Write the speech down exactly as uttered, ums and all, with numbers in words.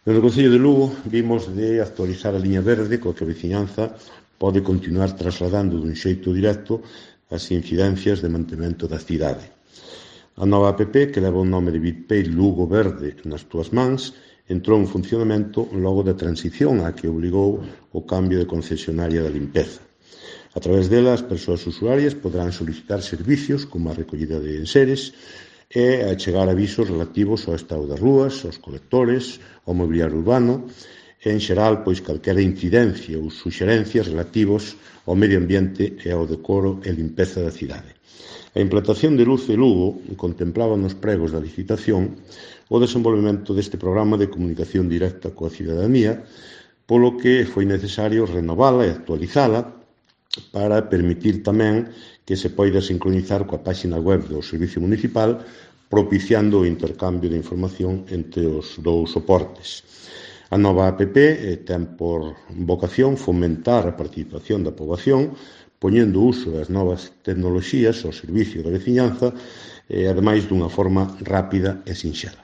No Concello de Lugo vimos de actualizar a liña verde coa que a veciñanza pode continuar trasladando dun xeito directo as incidencias de mantemento da cidade. A nova app, que leva o nome de BitPay Lugo Verde nas túas mans, entrou en funcionamento logo da transición a que obligou o cambio de concesionaria da limpeza. A través dela, as persoas usuarias poderán solicitar servicios como a recollida de enseres e achegar avisos relativos ao estado das rúas, aos colectores, ao mobiliario urbano e, en xeral, pois calquera incidencia ou suxerencias relativos ao medio ambiente e ao decoro e limpeza da cidade. A implantación de Luce Lugo contemplaba nos pregos da licitación o desenvolvemento deste programa de comunicación directa coa cidadanía, polo que foi necesario renovala e actualizala para permitir tamén que se poida sincronizar coa páxina web do Servicio Municipal, propiciando o intercambio de información entre os dous soportes. A nova app ten por vocación fomentar a participación da poboación, poñendo uso das novas tecnoloxías ao servicio da veciñanza, e, ademais, dunha forma rápida e sinxela.